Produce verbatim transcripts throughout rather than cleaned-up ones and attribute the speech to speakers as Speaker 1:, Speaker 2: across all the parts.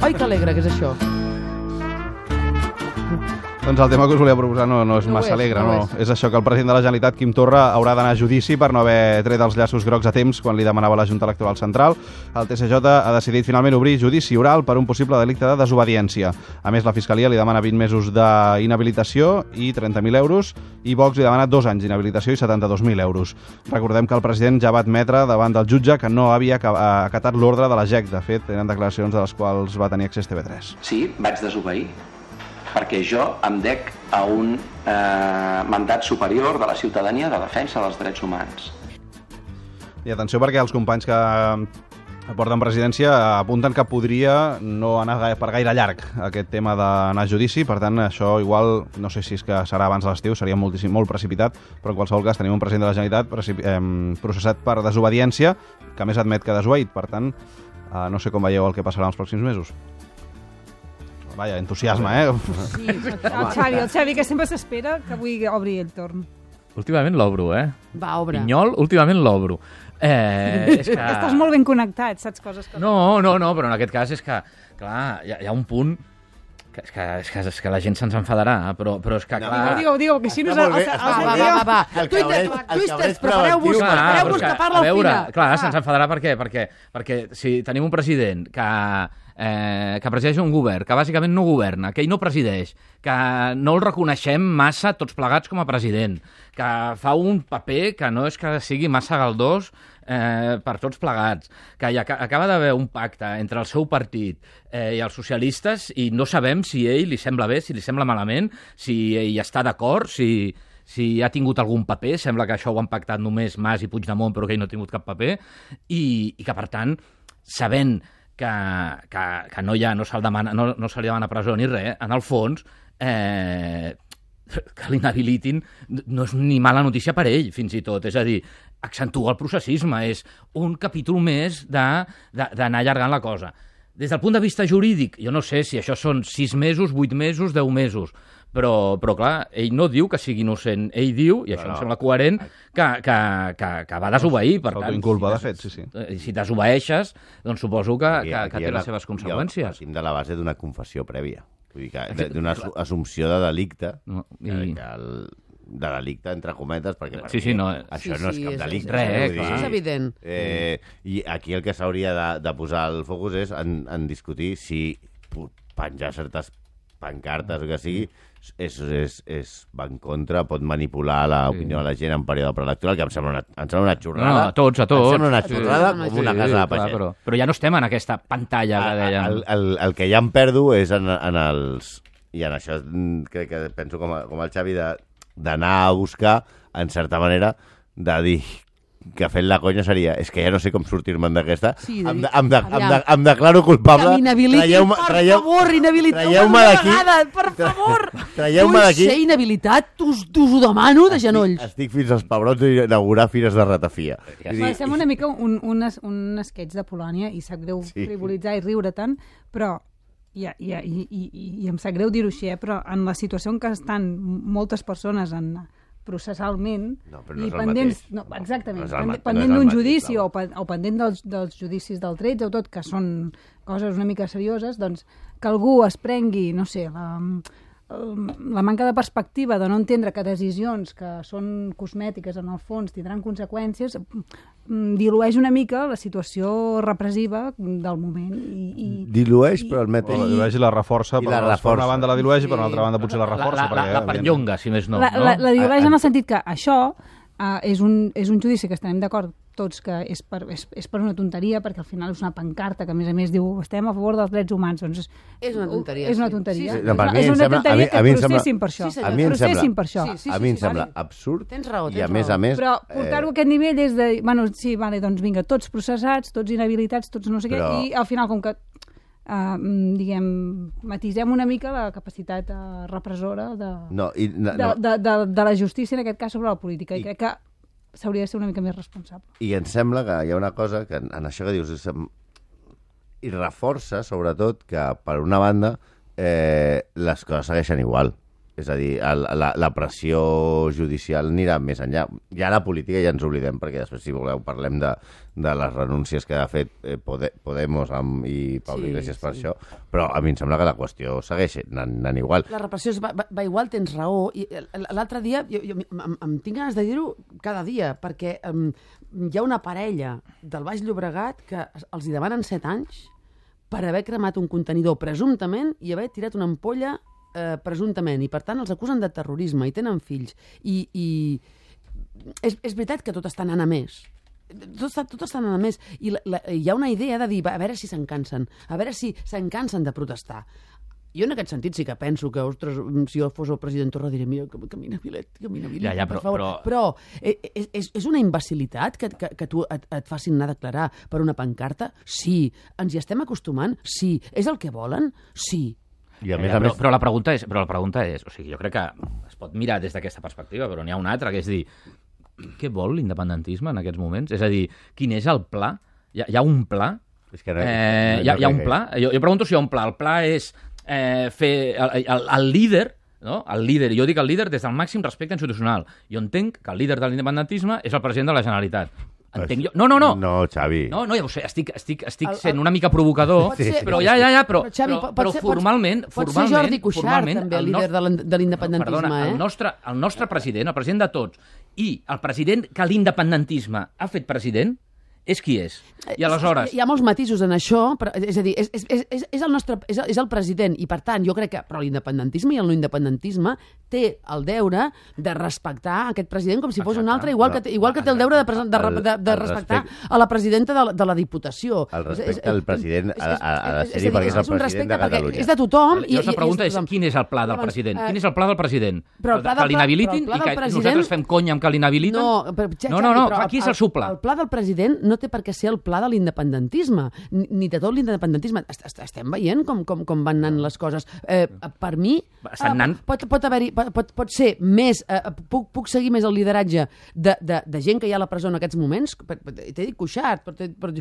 Speaker 1: Ai, que alegre que és això.
Speaker 2: Doncs el tema que us volia proposar no, no és
Speaker 1: No
Speaker 2: massa
Speaker 1: és,
Speaker 2: alegre,
Speaker 1: no
Speaker 2: no.
Speaker 1: és.
Speaker 2: És això, que el president de la Generalitat, Quim Torra, haurà d'anar a judici per no haver tret els llaços grocs a temps quan li demanava la Junta Electoral Central. El T S J ha decidit finalment obrir judici oral per un possible delicte de desobediència. A més, la Fiscalia li demana vint mesos d'inhabilitació i trenta mil euros, i Vox li demana dos anys d'inhabilitació i setanta-dos mil euros. Recordem que el president ja va admetre davant del jutge que no havia acatat l'ordre de la G E C. De fet, eren declaracions de les quals va tenir accés T V tres.
Speaker 3: Sí, vaig desobeir, perquè jo em dec a un eh, mandat superior de la ciutadania de defensa dels drets humans.
Speaker 2: I atenció, perquè els companys que porten presidència apunten que podria no anar per gaire llarg aquest tema d'anar a judici. Per tant, això igual, no sé si és que serà abans de l'estiu, seria moltíssim, molt precipitat, però en qualsevol cas tenim un president de la Generalitat eh, processat per desobediència, que a més admet que ha desobeït. Per tant, eh, no sé com veieu el que passarà els pròxims mesos. Vaja, entusiasme, eh?
Speaker 4: Sí, el Xavi, el Xavi, que sempre s'espera que avui obri el torn.
Speaker 5: Últimament l'obro, eh?
Speaker 1: Va, obre.
Speaker 5: Pinyol, últimament l'obro. Eh, és que...
Speaker 4: Estàs molt ben connectat, saps coses que...
Speaker 5: No, no, no, però en aquest cas és que, clar, hi ha, hi ha un punt que és que, és que, és que la gent se'ns enfadarà, però, però és que, clar...
Speaker 4: Digue-ho, digue-ho, que si no...
Speaker 1: Va, va, va, va. Twisters, prepareu-vos, prepareu-vos que parla
Speaker 5: a
Speaker 1: el
Speaker 5: veure,
Speaker 1: Fina.
Speaker 5: clar, se'ns enfadarà per què? Perquè, perquè si tenim un president que, eh, que presideix un govern, que bàsicament no governa, que ell no presideix, que no el reconeixem massa tots plegats com a president, que fa un paper que no és que sigui massa galdós eh, per tots plegats, que hi ac acaba d'haver un pacte entre el seu partit eh, i els socialistes i no sabem si ell li sembla bé, si li sembla malament, si ell està d'acord, si... si ha tingut algun paper, sembla que això ho han pactat només Mas i Puigdemont, però que ell no ha tingut cap paper, i, i que, per tant, sabent que, que, que no, hi ha, no, se demana, no, no se li demana presó ni res, en el fons, eh, que l'inhabilitin no és ni mala notícia per ell, fins i tot. És a dir, accentua el processisme, és un capítol més d'anar allargant la cosa. Des del punt de vista jurídic, jo no sé si això són sis mesos, vuit mesos, deu mesos, però, però clar, ell no diu que sigui innocent, ell diu, i això no, em sembla coherent, que, que, que, que va desobeir, per tant...
Speaker 2: S'autoinculpa, de fet, sí, sí.
Speaker 5: Si desobeeixes, doncs suposo que,
Speaker 6: Aquí,
Speaker 5: que,
Speaker 6: aquí
Speaker 5: que té
Speaker 6: la,
Speaker 5: les seves conseqüències.
Speaker 6: Partim de la base d'una confessió prèvia, vull dir que d'una assumpció de delicte,
Speaker 5: No, i...
Speaker 6: que, que el, de delicte, entre cometes, perquè per
Speaker 5: Sí, sí, no,
Speaker 6: això
Speaker 1: sí,
Speaker 6: no és
Speaker 1: sí,
Speaker 6: cap
Speaker 1: és-
Speaker 6: delicte.
Speaker 5: res,
Speaker 6: vull
Speaker 5: clar.
Speaker 6: dir,
Speaker 1: És evident.
Speaker 6: Eh, I aquí el que s'hauria de, de posar el focus és en, en discutir si penjar certes pancartes o que sigui és, és, és va en contra, pot manipular l'opinió
Speaker 5: Sí.
Speaker 6: de la gent en període preelectoral, que em sembla una, em sembla una xorrada.
Speaker 5: No, a tots, a tots.
Speaker 6: Em sembla una
Speaker 5: Sí,
Speaker 6: xorrada
Speaker 1: sí,
Speaker 6: com una casa de
Speaker 5: clar,
Speaker 6: pagès.
Speaker 5: però, però ja no estem en aquesta pantalla que dèiem.
Speaker 6: El, el, el que ja em perdo és en, en els... I en això mm, crec que penso com, a, com el Xavi de- d'anar a buscar, en certa manera, de dir que fent la conya seria és que ja no sé com sortir-me'n d'aquesta.
Speaker 1: Sí,
Speaker 6: em,
Speaker 1: de-
Speaker 6: de, em, de, em, de,
Speaker 1: aviam.
Speaker 6: em declaro culpable.
Speaker 1: Que m'inhabilitin,
Speaker 6: Traieu-me-
Speaker 1: per
Speaker 6: traieu-
Speaker 1: favor, inhabiliteu-me
Speaker 6: traieu-me
Speaker 1: d'una
Speaker 6: d'aquí.
Speaker 1: vegada, per favor.
Speaker 6: Traieu-me
Speaker 1: Vull
Speaker 6: d'aquí.
Speaker 1: ser inhabilitat, t'us t'us ho demano de genolls.
Speaker 6: Estic, estic fins als pebrons d'inaugurar fires de ratafia.
Speaker 5: Ja
Speaker 6: Vull
Speaker 4: Va,
Speaker 6: dir,
Speaker 4: sembla una mica un, un, es- un sketch de Polònia i sap greu
Speaker 6: Sí.
Speaker 4: frivolitzar i riure tant, però i, i, i, i, i em sap greu dir-ho així, eh? Però en la situació en què estan moltes persones en processalment
Speaker 6: No, però no
Speaker 4: i
Speaker 6: és el
Speaker 4: pendents,
Speaker 6: mateix.
Speaker 4: no, exactament,
Speaker 6: No és el
Speaker 4: pende-
Speaker 6: ma- no
Speaker 4: pendent
Speaker 6: és el
Speaker 4: d'un
Speaker 6: mateix,
Speaker 4: judici
Speaker 6: clar.
Speaker 4: o, pe- o pendent dels, dels judicis del tretze o tot, que són coses una mica serioses, doncs que algú es prengui, no sé, la, la manca de perspectiva de no entendre que decisions que són cosmètiques en el fons tindran conseqüències, mm, dilueix una mica la situació repressiva del moment. I, i,
Speaker 6: dilueix, però al
Speaker 2: O
Speaker 6: mateix...
Speaker 2: la dilueix i la reforça,
Speaker 6: I
Speaker 2: per,
Speaker 6: la
Speaker 2: per
Speaker 6: reforça.
Speaker 2: una banda la dilueix i per
Speaker 1: Sí.
Speaker 2: una altra banda potser la
Speaker 5: La,
Speaker 2: reforça.
Speaker 5: la, la,
Speaker 2: perquè,
Speaker 5: la
Speaker 2: evidentment,
Speaker 5: perllonga, si més no.
Speaker 4: la,
Speaker 5: no?
Speaker 4: la, la dilueix
Speaker 6: A-
Speaker 4: en el sentit que això uh, és, un, és un judici que estarem d'acord tots que és per, és, és per una tonteria, perquè al final és una pancarta que a més a més diu estem a favor dels drets humans, doncs és,
Speaker 1: És una tonteria,
Speaker 4: és una
Speaker 1: sí.
Speaker 4: tonteria.
Speaker 1: Sí, sí.
Speaker 6: No, per
Speaker 4: és
Speaker 6: mi
Speaker 4: una,
Speaker 6: em
Speaker 4: és una
Speaker 6: sembla- a mi-
Speaker 4: tonteria
Speaker 6: a mi em
Speaker 4: que
Speaker 6: sembla-
Speaker 4: processin per això.
Speaker 1: Sí, senyor.
Speaker 6: A mi em
Speaker 4: processin
Speaker 6: sembla,
Speaker 4: per això.
Speaker 1: Sí, sí,
Speaker 6: a mi em
Speaker 1: sí,
Speaker 6: sembla
Speaker 1: sí.
Speaker 6: absurd
Speaker 1: Tens raó,
Speaker 6: i
Speaker 1: tens
Speaker 6: a més
Speaker 1: raó.
Speaker 6: a més...
Speaker 4: Però portar-ho a aquest nivell és de... Bueno, sí, vale, doncs vinga, tots processats, tots inhabilitats, tots no sé
Speaker 6: Però-
Speaker 4: què, i al final, com que uh, diguem, matisem una mica la capacitat uh, repressora de,
Speaker 6: No, i, no,
Speaker 4: de,
Speaker 6: no.
Speaker 4: de, de, de la justícia, en aquest cas, sobre la política. I,
Speaker 6: I-
Speaker 4: crec que s'hauria de ser una mica més responsable.
Speaker 6: I em sembla que hi ha una cosa que en, en això que dius és, em, i reforça, sobretot, que per una banda eh, les coses segueixen igual. És a dir, el, la, la pressió judicial anirà més enllà. Ja la política ja ens oblidem, perquè després, si voleu, parlem de, de les renúncies que ha fet eh, Pode, Podemos amb, i Pablo sí, Iglesias per sí. això, però a mi em sembla que la qüestió segueix anant, anant igual.
Speaker 1: La repressió va, va, va igual, tens raó. I l'altre dia, jo, jo em, em tinc ganes de dir-ho cada dia, perquè um, hi ha una parella del Baix Llobregat que els hi demanen set anys per haver cremat un contenidor presumptament i haver tirat una ampolla eh, presumptament, i per tant els acusen de terrorisme i tenen fills. I, i és, és veritat que tot està anant a més. Tot està, tot està anant a més. I la, la, hi ha una idea de dir, a veure si se'n cansen, a veure si se'n cansen de protestar. Jo en aquest sentit sí que penso que, ostres, si jo fos el president Torra diré, mira, camina Vilet, camina Vilet,
Speaker 5: ja, ja, però,
Speaker 1: per favor. Però, però és, és, és una imbecilitat que, que, que tu et, et facin anar a declarar per una pancarta? Sí. Ens hi estem acostumant? Sí. És el que volen? Sí.
Speaker 6: I a
Speaker 5: ja,
Speaker 6: més
Speaker 5: ja,
Speaker 6: a
Speaker 5: però,
Speaker 6: més...
Speaker 5: però la pregunta és, però la pregunta és, o sigui, jo crec que es pot mirar des d'aquesta perspectiva, però n'hi ha una altra, que és dir, què vol l'independentisme en aquests moments? És a dir, quin és el pla? Hi ha, hi ha un pla?
Speaker 6: És que no,
Speaker 5: eh,
Speaker 6: no, no,
Speaker 5: hi, ha, hi ha un pla? Jo, jo pregunto si hi ha un pla. El pla és eh, fer el, el, el líder, no? El líder, jo dic el líder des del màxim respecte institucional. Jo entenc que el líder de l'independentisme és el president de la Generalitat. Entenc jo. No, no, no.
Speaker 6: No, Xavi.
Speaker 5: No, no, ja ho sé, estic, estic, estic el, sent una mica provocador,
Speaker 1: ser,
Speaker 5: però ja, ja, ja, però,
Speaker 1: però, Xavi,
Speaker 5: però,
Speaker 1: pot
Speaker 5: però
Speaker 1: ser,
Speaker 5: formalment...
Speaker 1: Pot,
Speaker 5: formalment,
Speaker 1: pot ser Jordi Cuixart, també, el líder
Speaker 5: nostre,
Speaker 1: de l'independentisme.
Speaker 5: Perdona,
Speaker 1: eh?
Speaker 5: el, nostre, el nostre president, el president de tots, i el president que l'independentisme ha fet president, és qui és. I aleshores...
Speaker 1: Hi ha molts matisos en això, però, és a dir, és, és, és, és, el nostre, és, és el president, i per tant, jo crec que però l'independentisme i el no independentisme té el deure de respectar aquest president com si fos un altre, igual que, igual que té el deure de, de, de, de, de respectar a la presidenta de, de la Diputació.
Speaker 6: El respecte al president ha, ha de ser-hi perquè és el president de Catalunya.
Speaker 1: És de tothom.
Speaker 5: I, la pregunta és, quin és el pla del president? Quin és el pla del president? Que l'inhabilitin i que nosaltres fem conya amb que l'inhabiliten?
Speaker 1: No,
Speaker 5: no, no, no, aquí és el seu pla.
Speaker 1: El pla del president no té per què ser el pla de l'independentisme, ni de tot l'independentisme. Estem veient com, com, com van anant les coses. Eh, per mi, eh, pot, pot, haver-hi, pot, pot ser més... Eh, puc, puc seguir més el lideratge de, de, de gent que hi ha a la presó en aquests moments, t'he dit Cuixart, per, per,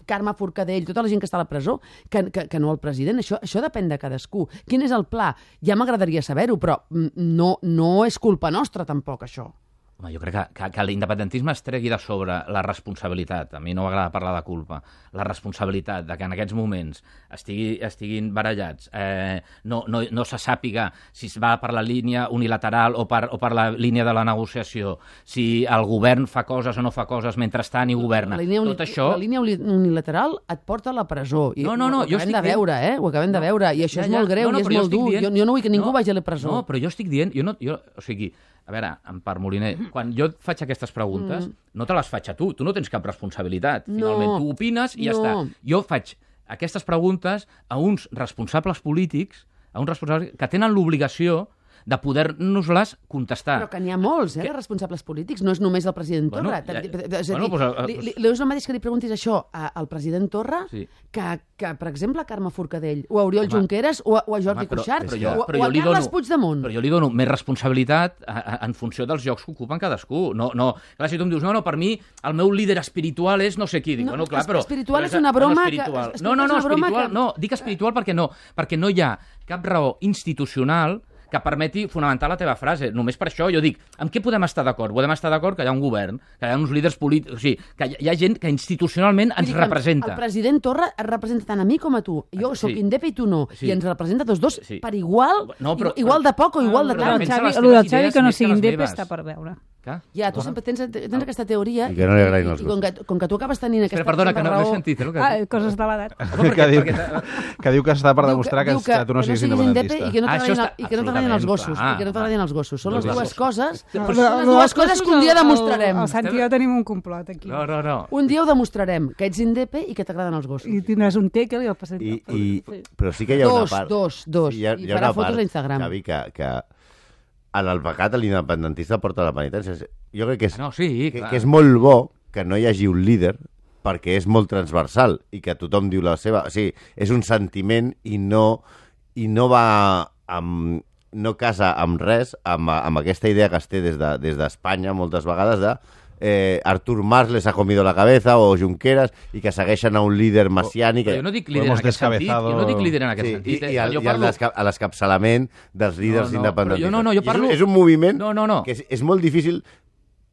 Speaker 1: Carme Forcadell, tota la gent que està a la presó, que, que, que no el president. Això, això depèn de cadascú. Quin és el pla? Ja m'agradaria saber-ho, però no, no és culpa nostra, tampoc, això.
Speaker 5: Home, jo crec que, que, que l'independentisme es tregui de sobre la responsabilitat. A mi no m'agrada parlar de culpa. La responsabilitat de que en aquests moments estigui, estiguin barallats, eh, no, no, no se sàpiga si es va per la línia unilateral o per, o per la línia de la negociació, si el govern fa coses o no fa coses mentrestant i governa.
Speaker 1: La línia,
Speaker 5: Tot això...
Speaker 1: la línia unilateral et porta a la presó. I
Speaker 5: no, no, no,
Speaker 1: ho acabem de veure, eh? Ho acabem no, de veure. I això ja, és molt greu no, no, i és molt dur. Dient... Jo, jo no vull que ningú no, vagi a la presó.
Speaker 5: No, però jo estic dient... Jo no, jo, o sigui, a veure, Empar Moliner, quan jo faig aquestes preguntes, mm. no te les faig a tu, tu no tens cap responsabilitat. Finalment, no, tu opines i ja no. està. Jo faig aquestes preguntes a uns responsables polítics, a uns responsables que tenen l'obligació de poder-nos-les contestar.
Speaker 1: Però que n'hi ha molts, eh, que... responsables polítics. No és només el president Torra. Bueno, ja... és a dir, bueno, pues, li, li, li és el mateix que li preguntis això al president Torra sí. que, que, per exemple, a Carme Forcadell, o a Oriol Home. Junqueres, o a, o a Jordi Home, però, Cuixart, però jo, o, però o a Carles dono, Puigdemont.
Speaker 5: Però jo li dono més responsabilitat a, a, en funció dels llocs que ocupen cadascú. No, no, clar, si tu em dius, no, no, per mi el meu líder espiritual és no sé qui. Dic,
Speaker 1: no,
Speaker 5: bueno, clar, però...
Speaker 1: Espiritual és una broma que...
Speaker 5: No, no, no, espiritual, que... no, dic espiritual perquè no, perquè no hi ha cap raó institucional que permeti fonamentar la teva frase. Només per això jo dic, amb què podem estar d'acord? Podem estar d'acord que hi ha un govern, que hi ha uns líders polítics, o sigui, que hi ha gent que institucionalment ens representa.
Speaker 1: El president Torra es representa tant a mi com a tu. Jo sóc sí. indep i tu no. Sí. I ens representa tots dos sí. per igual, no, però, igual de poc o igual de tant.
Speaker 4: El del Xavi que no sigui indep està per veure.
Speaker 1: Ja, tu sempre tens, tens aquesta teoria
Speaker 6: i que no li agraïn els
Speaker 1: i com que, com que tu acabes tenint aquesta...
Speaker 5: Espera, perdona, que no, no he sentit. Eh, que...
Speaker 4: Ah, coses de l'edat.
Speaker 2: Que, diu, que diu que està per demostrar que, que, que tu no siguis independentista.
Speaker 1: I que no t'agradin els gossos. I que no t'agradin els gossos. Són les dues coses són les dues coses que un dia demostrarem.
Speaker 4: El Santi i jo tenim un complot aquí.
Speaker 5: No, no, no.
Speaker 1: Un dia ho demostrarem, que ets indepe i que t'agraden els gossos.
Speaker 4: I tindràs un tèquel i el passat.
Speaker 6: Però sí que hi ha una part...
Speaker 1: Dos, dos, dos. I farà fotos a Instagram.
Speaker 6: Xavi, que en el pecat l'independentista porta la penitència. Jo crec que és,
Speaker 5: no, sí,
Speaker 6: que, que és molt bo que no hi hagi un líder perquè és molt transversal i que tothom diu la seva... O sigui, és un sentiment i no, i no va amb, no casa amb res, amb, amb aquesta idea que es té des d'Espanya de, des moltes vegades de eh, Artur Mas les ha comido la cabeza o Junqueras i que segueixen a un líder messiànic.
Speaker 5: Però jo no dic líder en aquest sentit. Jo no dic líder en aquest
Speaker 6: sí,
Speaker 5: sentit.
Speaker 6: I, i, el,
Speaker 5: jo
Speaker 6: i
Speaker 5: parlo...
Speaker 6: a l'escapçalament dels líders
Speaker 5: no, no,
Speaker 6: independentistes.
Speaker 5: Jo, no, no, jo parlo...
Speaker 6: És, és un moviment
Speaker 5: no, no, no.
Speaker 6: que és, és molt difícil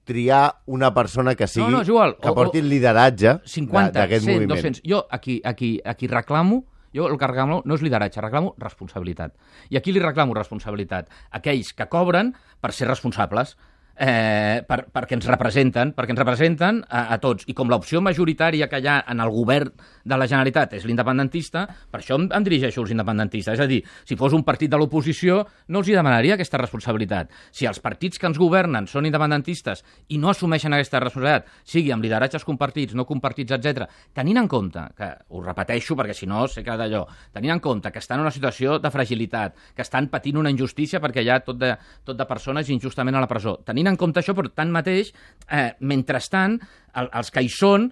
Speaker 6: triar una persona que sigui
Speaker 5: no, no, igual.
Speaker 6: que porti el lideratge
Speaker 5: cinquanta,
Speaker 6: d'aquest
Speaker 5: cent,
Speaker 6: moviment.
Speaker 5: dos cents. Jo aquí, aquí, aquí reclamo, jo el que reclamo no és lideratge, reclamo responsabilitat. I aquí li reclamo responsabilitat a aquells que cobren per ser responsables. Eh, per, perquè ens representen, perquè ens representen a, a tots. I com l'opció majoritària que hi ha en el govern de la Generalitat és l'independentista, per això em, em dirigeixo als independentistes. És a dir, si fos un partit de l'oposició, no els hi demanaria aquesta responsabilitat. Si els partits que ens governen són independentistes i no assumeixen aquesta responsabilitat, sigui amb lideratges compartits, no compartits, etcètera, tenint en compte, que ho repeteixo perquè si no sé que d'allò, tenint en compte que estan en una situació de fragilitat, que estan patint una injustícia perquè hi ha tot de, tot de persones injustament a la presó, tenint en compte això, però tanmateix, eh, mentrestant, el, els que hi són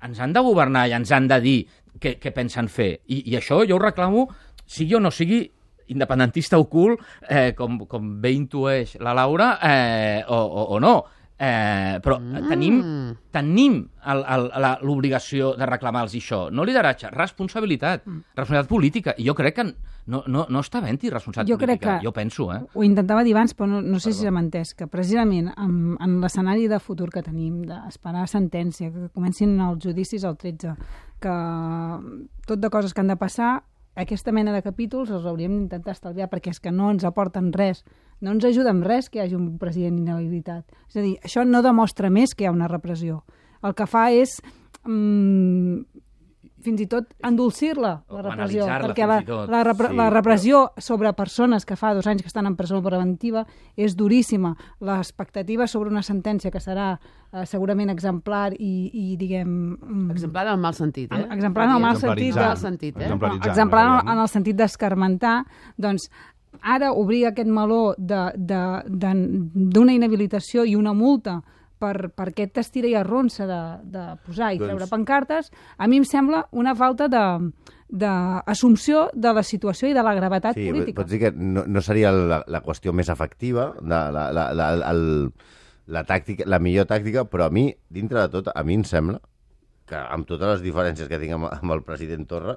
Speaker 5: ens han de governar i ens han de dir què, què pensen fer. I, I això jo ho reclamo, sigui o no sigui independentista ocult, eh, com, com bé intueix la Laura, eh, o, o, o no. Eh, però mm. tenim, tenim l'obligació de reclamar-los això. No lideratge, responsabilitat. Mm. Responsabilitat política. I jo crec que no, no, no està havent-hi responsabilitat
Speaker 4: jo
Speaker 5: política.
Speaker 4: Que
Speaker 5: jo penso, eh?
Speaker 4: Ho intentava dir abans, però no, no sé Perdó. si s'ha entès, que precisament en, en l'escenari de futur que tenim, d'esperar sentència, que comencin els judicis al tretze, que tot de coses que han de passar, aquesta mena de capítols els hauríem d'intentar estalviar perquè és que no ens aporten res. No ens ajuda en res que hi hagi un president inhabilitat. És a dir, això no demostra més que hi ha una repressió. El que fa és mm, fins i tot endolcir-la, la repressió. Perquè la, la, repre sí, la repressió però... sobre persones que fa dos anys que estan en presó preventiva és duríssima. L'expectativa sobre una sentència que serà eh, segurament exemplar i, i diguem... Mm,
Speaker 1: exemplar en el mal sentit, eh?
Speaker 4: Exemplar en el mal sentit. De,
Speaker 1: sentit eh?
Speaker 4: Exemplar en el sentit d'escarmentar, doncs ara obrir aquest meló d'una inhabilitació i una multa per, per aquest estira i arronsa de, de posar i doncs... treure pancartes, a mi em sembla una falta d'assumpció de, de la situació i de la gravetat
Speaker 6: sí,
Speaker 4: política.
Speaker 6: Pots dir que no, no seria la, la qüestió més efectiva, de, la, la, la, el, la, tàctica, la millor tàctica, però a mi, dintre de tot, a mi em sembla que amb totes les diferències que tinc amb, amb el president Torra,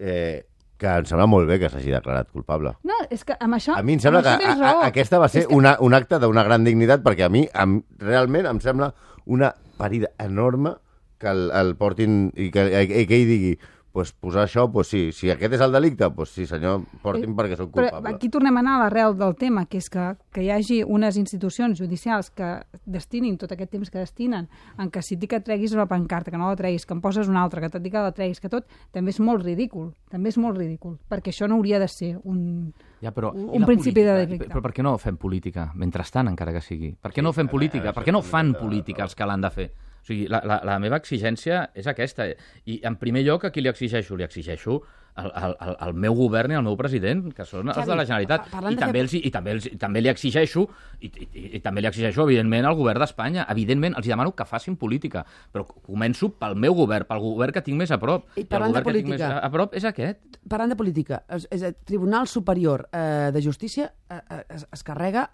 Speaker 6: eh, que em sembla molt bé que s'hagi declarat culpable.
Speaker 4: No, és que amb això...
Speaker 6: A mi em sembla que a, a, aquesta va ser que... una, un acte d'una gran dignitat, perquè a mi em, realment em sembla una parida enorme que el, el portin i que, i que ell digui pues, posar això, pues sí, si aquest és el delicte, pues sí, senyor, portin perquè sóc culpable.
Speaker 4: Però aquí tornem a anar a l'arrel del tema, que és que, que hi hagi unes institucions judicials que destinin tot aquest temps que destinen, en què si et dic que treguis una pancarta, que no la treguis, que en poses una altra, que et dic que la treguis, que tot, també és molt ridícul, també és molt ridícul, perquè això no hauria de ser un...
Speaker 5: Ja, però,
Speaker 4: un principi
Speaker 5: política,
Speaker 4: de delicte.
Speaker 5: Però per què no fem política, mentrestant, encara que sigui? Per què no fem política? Per què no fan política els que l'han de fer? O sigui, la, la, la meva exigència és aquesta. I, en primer lloc, a qui li exigeixo? Li exigeixo al, al, al meu govern i al meu president, que són els
Speaker 1: Xavi,
Speaker 5: de la Generalitat. I també,
Speaker 1: fer...
Speaker 5: els, i, també els, i també li exigeixo, i, i, i, i també li exigeixo, evidentment, al govern d'Espanya. Evidentment, els demano que facin política. Però començo pel meu govern, pel govern que tinc més a prop.
Speaker 1: I parlant
Speaker 5: I el govern
Speaker 1: de política,
Speaker 5: que tinc més a, a prop és aquest.
Speaker 1: Parlant de política, és, és el Tribunal Superior eh, de Justícia eh, es, es carrega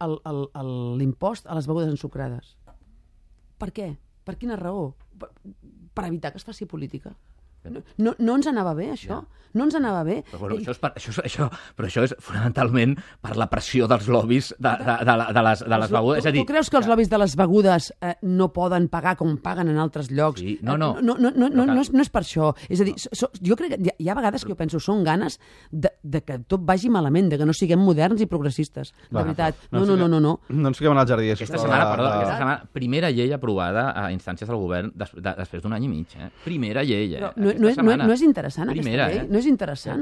Speaker 1: l'impost a les begudes ensucrades. Per què? Per quina raó? Per, per evitar que es faci política. No, no, no ens anava bé, això? Ja. No ens anava bé.
Speaker 5: Però, bueno, això és per, això, això, però això és fonamentalment per la pressió dels lobbies de, de, de, de, de les, de les begudes.
Speaker 1: Tu, és a dir, tu creus que els lobbies de les begudes eh, no poden pagar com paguen en altres llocs?
Speaker 5: Sí, no, no.
Speaker 1: Eh, no, no, no, no, no, és, no és per això. És a dir, so, jo crec que hi ha, hi ha vegades que jo penso són ganes de, de que tot vagi malament, de que no siguem moderns i progressistes. De veritat. No, no, no, no. No,
Speaker 2: no ens fiquem en el jardí.
Speaker 5: Aquesta setmana, perdó, aquesta setmana, primera llei aprovada a instàncies del govern des, de, després d'un any i mig. Eh? Primera llei, eh?
Speaker 1: No, no, no, és, no, no és interessant,
Speaker 5: primera,
Speaker 1: aquesta llei?
Speaker 5: Eh?
Speaker 1: No és interessant?